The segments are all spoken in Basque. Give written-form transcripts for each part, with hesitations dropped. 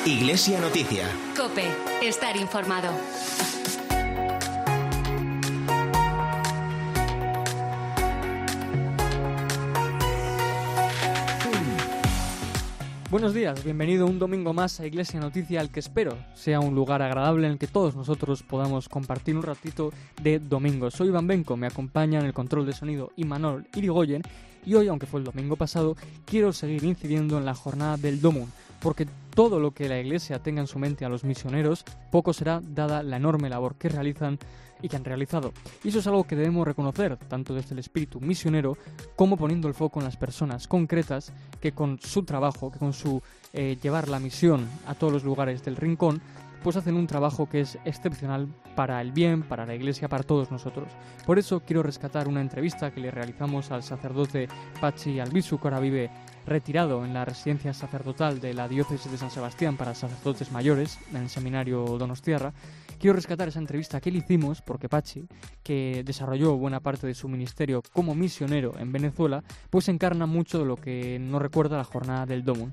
Iglesia Noticia. COPE. Estar informado. Buenos días, bienvenido un domingo más a Iglesia Noticia, al que espero sea un lugar agradable en el que todos nosotros podamos compartir un ratito de domingo. Soy Iván Benco, me acompaña en el control de sonido Imanol Irigoyen y hoy, aunque fue el domingo pasado, quiero seguir incidiendo en la jornada del Domum, porque todo lo que la Iglesia tenga en su mente a los misioneros, poco será dada la enorme labor que realizan y que han realizado. Y eso es algo que debemos reconocer, tanto desde el espíritu misionero como poniendo el foco en las personas concretas que con su trabajo, que con su llevar la misión a todos los lugares del rincón, pues hacen un trabajo que es excepcional para el bien, para la Iglesia, para todos nosotros. Por eso quiero rescatar una entrevista que le realizamos al sacerdote Patxi Albizu, que ahora vive retirado en la residencia sacerdotal de la diócesis de San Sebastián para sacerdotes mayores, en el seminario Donostiarra. Quiero rescatar esa entrevista que le hicimos porque Patxi, que desarrolló buena parte de su ministerio como misionero en Venezuela, pues encarna mucho de lo que nos recuerda la jornada del Domum.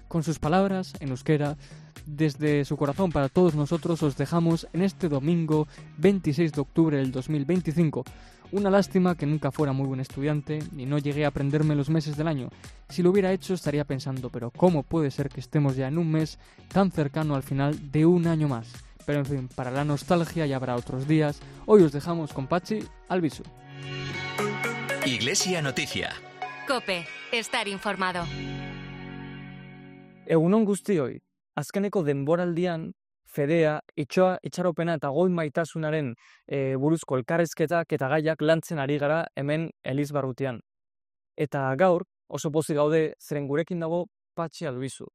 Con sus palabras, en euskera, desde su corazón para todos nosotros, os dejamos en este domingo 26 de octubre del 2025. Una lástima que nunca fuera muy buen estudiante y no llegué a aprenderme los meses del año. Si lo hubiera hecho estaría pensando, pero ¿cómo puede ser que estemos ya en un mes tan cercano al final de un año más? Pero en fin, para la nostalgia ya habrá otros días. Hoy os dejamos con Patxi Albizu. Iglesia Noticia. COPE. Estar informado. Egunon guztioi, azkeneko denboraldian fedea, itxaropena eta goi maitasunaren buruzko elkarrizketak eta gaiak lantzen ari gara hemen Elizbarrutian. Eta gaur oso pozik gaude zeren gurekin dago Patxi Albizu.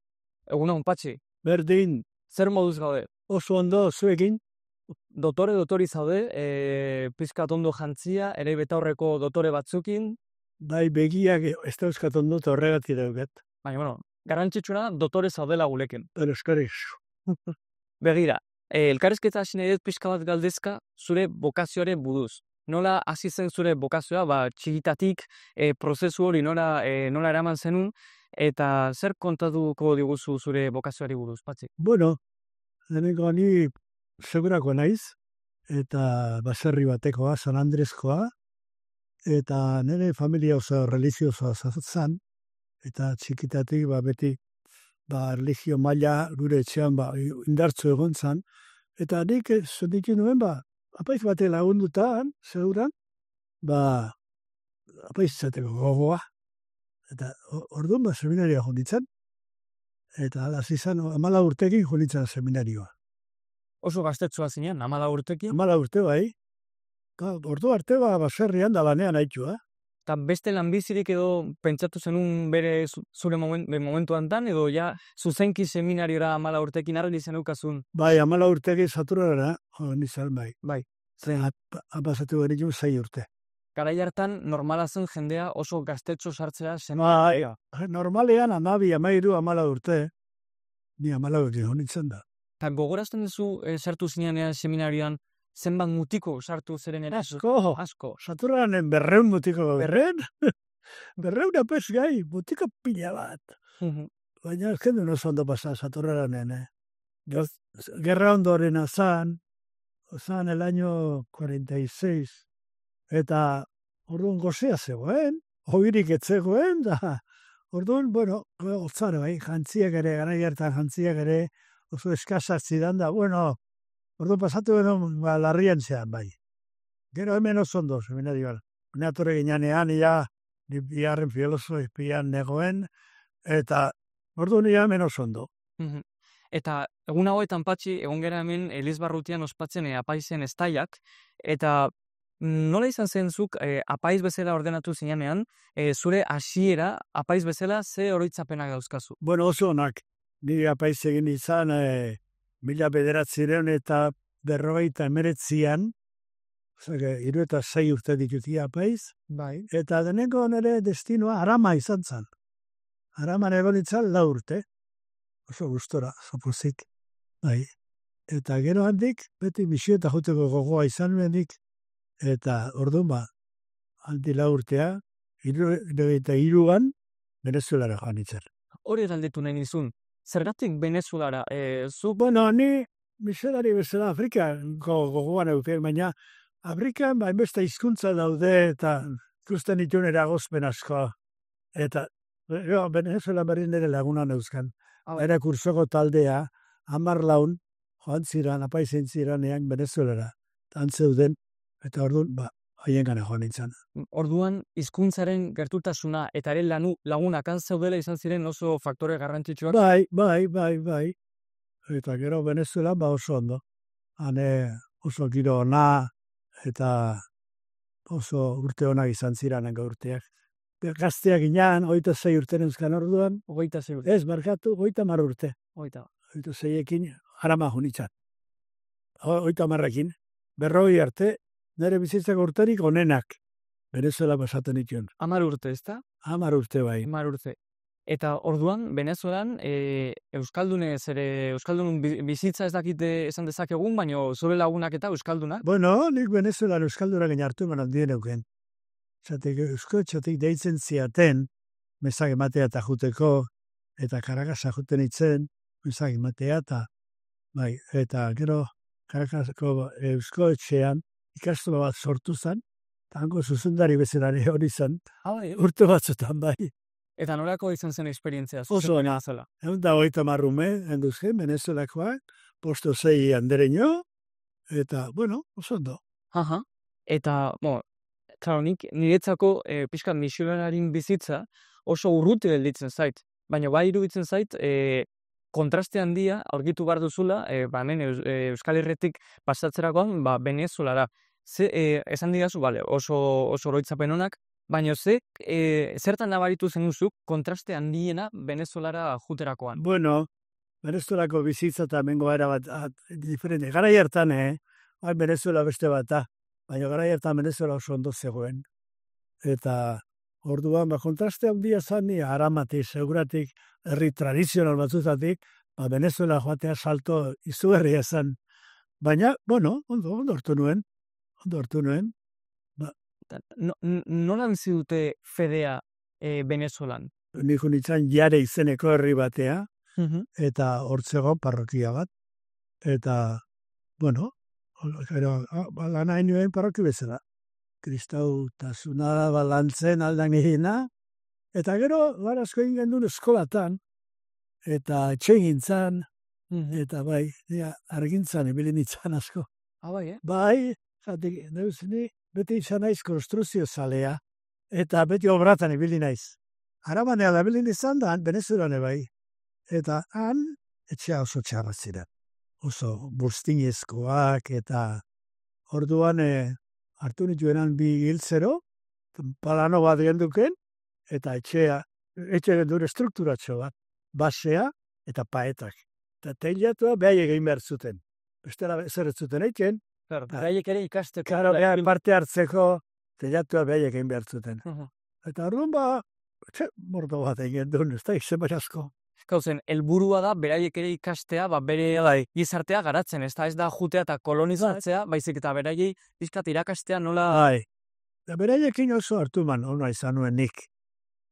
Egunon, Patxi. Berdin, Zer moduz gaude? oso ondo zuekin, Dotori zaude, pizkat ondo jantzia, ere betaurreko dotore batzukin, bai begiak ez dauzkat ondo eta horregatik daukat. baina, bueno, garrantzitsuna dotore zaudela gulekin. Euskarez. Begira, elkarrizketa hasi nahi dut pixka bat galdezka zure bokazioaren buruz. Nola hasi zen zure bokazioa, txikitatik prozesu hori nola eraman zenun, eta zer kontatuko diguzu zure bokazioari buruz, Patxi? Bueno, lehenengo ni segurako naiz, eta baserri batekoa, San Andreskoa, eta nire familia oso religiosoa zan, eta txikitatik beti religio maila gure etxean indartzu egon zan, eta nik zutitu nuen apaiz bate lagundutan, seguran, apaiz izateko gogoa. Eta orduan seminarioa jonditzen, eta hasi izan 14 urtekin jonditzen seminarioa. Oso gaztetxoa zinean, 14 urtekin. 14 urte bai. Ordu arte baserrian da lanean aitua. Eta beste lanbizirik edo pentsatu zenun bere zure momentu hantan, edo ja zuzenki seminariora 14 urtekin argi zenukazun? Bai, 14 urtekin saturara, nizan bai. Bai. Apasatu beritu 6 urte. Garai hartan normala zen jendea oso gaztetxo sartzea zen. Bai, normalean 12, 13, 14 urte. Ni 14 urte jonitzen da. Eta gogorazten duzu sartu zinean seminarioan zenbat mutiko sartu zeren era? Asko. Saturanen 200 mutiko. 200 apes gai, mutiko pila bat. Baina jende no ondo pasa Saturanen. Gerra ondoren zan el año 46. Eta orduan gozea zegoen, hoirik etzegoen, da orduan, otzara bai, jantziak ere, garai hartan jantziak ere, oso eskasak zidan da, orduan pasatu edo larrian zean bai. Gero hemen oso ondo, seminarioan. Neatore ginean, ni biharren filosofian negoen, eta orduan hemen oso ondo. Eta egun hauetan, Patxi, egon gara hemen Elizbarrutian ospatzen apaizen estaiak, eta nola izan zen zuk apaiz bezala ordenatu zinean, zure hasiera apaiz bezala ze oroitzapenak dauzkazu? Bueno, oso onak. Nire apaiz egin izan 1900 eta 1949an, 36 urte ditutia apaiz, Bai. eta deneko nire destinoa Arama izan zen. Araman egon itzan 4 urte, oso gustora, oso pozik. Bai. Eta gero handik, beti misio eta joteko gogoa izan nuenik, eta orduan handi 4 urtea, 73an, Venezuelara joan itzen. Hori galdetu nahi nizun. Zergatik Venezuelara? Bueno, ni miserari bezala Afrikan gogoan euken, baina Afrikan hainbeste hizkuntza daude eta ikusten dituen eragozpen asko. Eta Venezuela berri nire laguna neuzkan. Era kursoko taldea, 10 laun, joan ziran, apaizen ziranean Venezuelara. Tan zeuden, eta orduan, haien gana joan nintzen. Orduan, hizkuntzaren gertutasuna eta ere lagunak han zeudela izan ziren oso faktore garrantzitsuak. Bai. Eta gero Venezuela oso ondo. Hane oso giro ona eta oso urte onak izan ziranen urteak. Gazteak inan, 26 urte neuzkan orduan. 26 urte. Ez, markatu, 30 urte. 26ekin, harama junitzat. 30ekin, 40 arte, nire bizitzako urterik onenak. Venezuela pasaten dituen. 10 urte, ez da? 10 urte bai. 10 urte. Eta orduan, Venezuelan, Euskaldun bizitza ez dakite esan dezakegun, baina zure lagunak eta Euskaldunak? Bueno, nik Venezuelan Euskaldunak hartu eman handien euken. Zatek, euskotxotik deitzen ziaten, mesak ematea eta juteko, eta Caracasa juten itzen, mesak ematea eta gero Caracasako euskotxean ikastola bat sortu zen, eta hango zuzendari bezalare hori zen, urte batzutan bai. Eta norako izan zen esperientzia? Oso ona. Egun da 30 marrume, enduzken, Venezuelakoak, posto 6 andereño, eta, bueno, oso ondo. Eta, claro, niretzako pixkat misionarin bizitza oso urruti gelditzen zait. Baina bai iruditzen zait, kontraste handia aurkitu behar duzula, hemen Euskal Herritik pasatzerakoan, Venezuelara. Esan digazu, oso oroitzapen honak, baina zertan nabaritu zenuzuk kontraste handiena Venezuelara juterakoan? Bueno, Venezuelako bizitza eta mengo era bat diferente. Garai hartan, Venezuela beste bata, baina garai hartan Venezuela oso ondo zegoen. Eta orduan, kontraste handia zani, Aramati, seguratik, herri tradizional batzutatik, Venezuela joatea salto izugarria zen. Baina, bueno, ondo hartu nuen. Nola bizi dute fedea Venezuelan? Nik unitzen Jare izeneko herri batea, eta hortzegon parrokia bat. Eta, bueno, lan hain nuen parroki bezala. Kristau tasuna balantzen aldan nirina. Eta gero, asko egin gendun eskolatan, eta etxe gintzan, eta bai, argintzan ebilin itzan asko. Bai, Bai, zatik, neuzini, beti izan naiz konstruzio zalea, eta beti obratan ibili naiz. Arabanea da bilin izan da, Venezuelane bai. Eta han, etxea oso txarra ziren. Oso bustinezkoak, eta orduan hartu nituenan 2 giltzero, palano bat genduken, eta etxe gendure strukturatxo bat. Basea eta paetak. Eta teilatua behai egin behar zuten. Bestela zer ez zuten eiken, beraiek ere ikasteko. Karo, parte hartzeko, teilatua behai egin behar zuten. Eta orduan mordo bat egin duen, ez da, izen bai asko. Gauzen, helburua da, beraiek ere ikastea, bere gizartea garatzen, ez da jutea eta kolonizatzea, baizik eta beraiei pizkat irakastea nola... Bai, beraiekin oso hartuman ona izan nuen nik.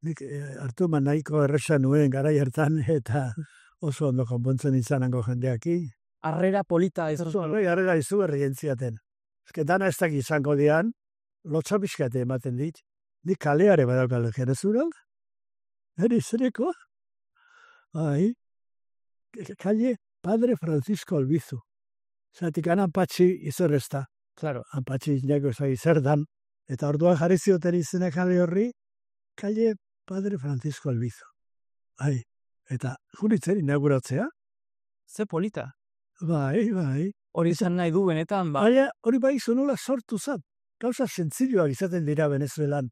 Nik hartuman nahiko erresa nuen garai hartan, eta oso ondo konpontzen izanango jendeaki. Arrera polita ez. Arrera izugarri entziaten. Dana ez dakit izango dian, lotxapiskate ematen dit. Nik kaleare badaukal Venezuelan. Zereko? Bai. Kalle Padre Francisco Albizu. Zatik Ampatxi izorrezta. Claro. Ampatxi inako zai zer dan. Eta orduan jarri zioten izena kale horri, Kalle Padre Francisco Albizu. Bai. Eta juritzen inauguratzea. Ze polita. Bai. Hori izan nahi du benetan, Baina hori bai zonola sortu zat. Gauza zentzilioak izaten dira Venezuelan.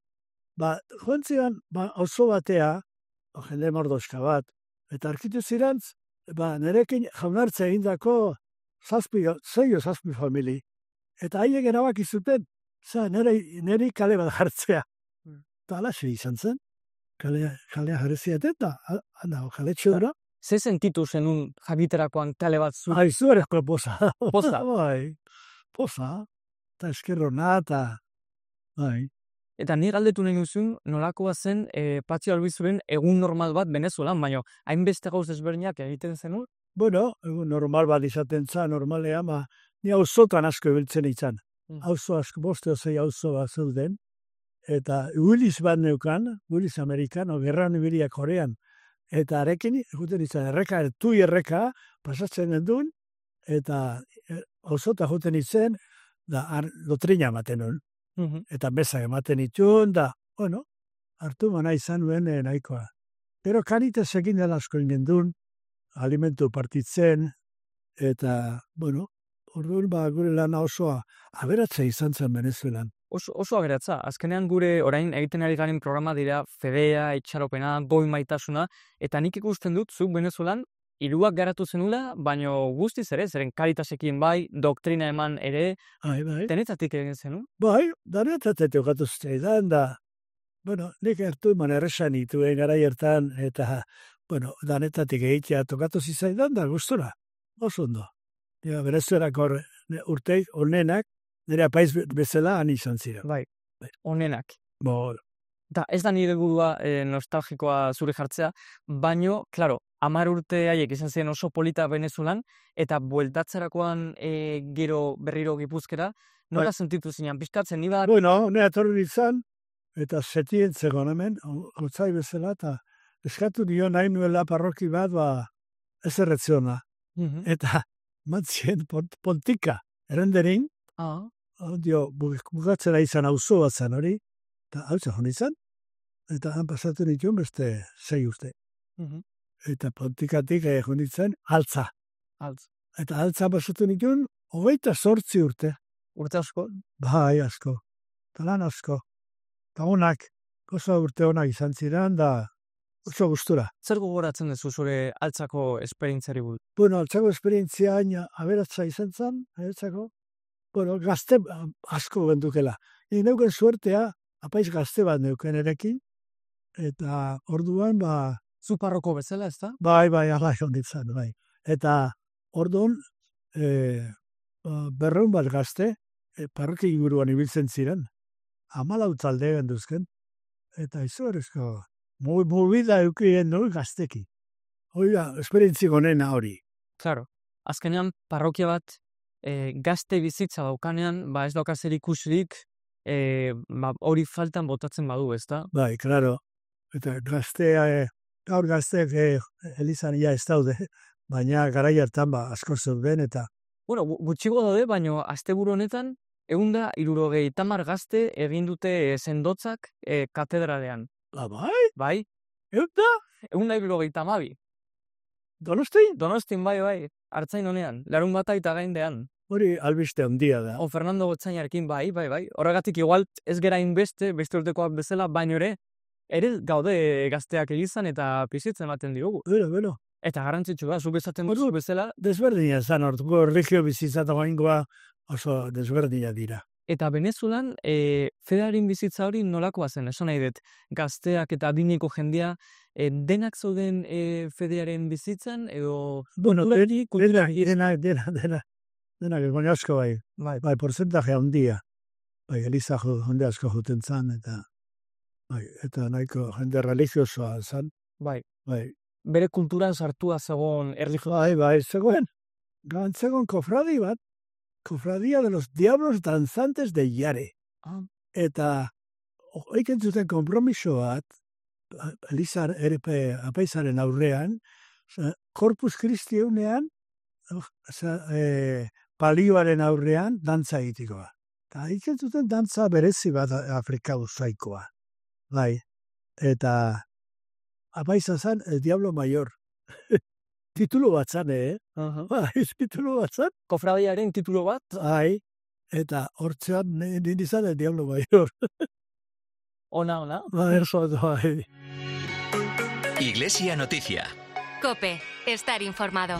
Joan ziren, oso batea, jende mordoska bat, eta arkitu zirantz, nerekin jaunartzea egindako 6 famili. Eta haiek erabaki zuten, neri kale bat jartzea. Eta alaxe izan zen, kalea jarri ziaten, eta kale txodra. Ze sentitu zenun jakiterakoan kale bat zu? Izugarrizko poza. Poza? Bai, poza. Eta eskerrona, eta bai. Eta ni galdetu nahi duzun, nolakoa zen Patxi Albizuren egun normal bat Venezuelan, baina hainbeste gauz desberdinak egiten zenun? Bueno, egun normal bat izaten za, normalean, ni auzotan asko ibiltzen izan. Auzo asko, 5 o 6 auzo bat zeuden, eta Willis bat neukan, Willis Amerikano, gerran ibilia Korean, eta arekin, egiten izan, erreka, pasatzen gendun, eta auzota juten izen, da dotrina ematen hon. Eta bezak ematen itun, da, bueno, hartu mana izan nuen nahikoa. Pero kanitezekin dela asko ingendun, alimentu partitzen, eta, bueno, orduan gure lana osoa aberatza izan zen Venezuelan. Oso aberatza. Azkenean gure orain egiten ari garen programa dira fedea, itxaropena, goi maitasuna, eta nik ikusten dut, zuk Venezuelan, hiruak garatu zenula, baino guztiz ere, zeren Caritasekin bai, doktrina eman ere, denetatik egin zenu? Bai, denetatik jokatu zaidan, da, bueno, nik hartu eman erresan ituen gara hartan, eta, bueno, denetatik egitea tokatu zizaidan, da gustura, oso ondo. Venezuelako urteik, onenak, nire apaiz bezala han izan ziren. Bai, onenak. Bo. Da, ez da nire gudua nostalgikoa zure jartzea, baino, klaro, 10 urte haiek izan ziren oso polita Venezuelan, eta bueltatzerakoan gero berriro Gipuzkera, nola sentitu zinean, pizkatzen, ni bat? Bueno, nire atorri izan, eta setien zegoen hemen, gotzai bezala, eta eskatu dio nahi nuela parroki bat, ez erretziona. Eta mantzien pontika, erenderin, bukatzera izan auzo bat zen hori, eta hau zen izan, eta han pasatu nituen beste 6 urte. Eta pontikatik egon ditzen altza. Eta altza pasatu nituen 28 urte. Urte asko? Bai, asko. Eta lan asko. Eta honak, goza urte honak izan ziren, da oso gustura. Zer gogoratzen duzu zure altzako esperientziari buruz? Bueno, altzako esperientzia aberatza izan zen, bueno, gazte asko bendukela. Neuken suertea, apaiz gazte bat neuken erekin, eta orduan, zu parroko bezala, ez da? Bai, ala honditzen, bai. Eta orduan, 200 bat gazte, parroki inguruan ibiltzen ziren, 14 talde genduzken, eta izugarrizko, mubida eukien nuen gazteki. Oiga, esperientzi gonena hori. Claro, azkenean parrokia bat gazte bizitza daukanean, ez daukazer ikusirik, hori faltan botatzen badu, ez da? Bai, claro. Eta gaur gazteak elizan ia ez daude, baina garai hartan asko zeuden eta... Bueno, gutxigo daude, baina asteburu honetan, 170 gazte egin dute sendotzak katedralean. Bai? Bai. 172. Donostin? Donostin, bai. Artzain honean, larun bata eta gaindean. Hori albiste handia da. Fernando Gotzainarekin, bai. Horregatik igual ez gera beste urtekoak bezala, baino ere gaude gazteak egizan eta pizitzen ematen diogu. Bueno. Eta garrantzitsua, zu bezaten duzu bezala. Desberdina zan, orduko erregio bizitzata goingoa oso desberdina dira. Eta Venezuelan, fedearen bizitza hori nolakoa zen, esan nahi dut, gazteak eta adineko jendea, denak zauden fedearen bizitzan, edo... Bueno, denak egon asko bai. Bai, porcentaje handia. Bai, eliza jende asko juten zan, eta nahiko jende religiosoa zan. Bai. Bere kulturan sartua zegoen erlijioa. Bai, zegoen. Gantzegoen kofradi bat, Cofradía de los Diablos Danzantes de Yare. Eta oiken zuten kompromiso bat, Elizar apaizaren aurrean, Corpus Christi eunean, palioaren aurrean, dantza egitikoa. Eta oiken zuten dantza berezi bat Afrika usaikoa. Bai, eta apaiza zan El Diablo Mayor. Titulo bat zan, titulo bat zan. Kofradiaren titulo bat? Bai, eta hortzean nindizan El Diablo Mayor. Ona. Iglesia Noticia. COPE. Estar informado.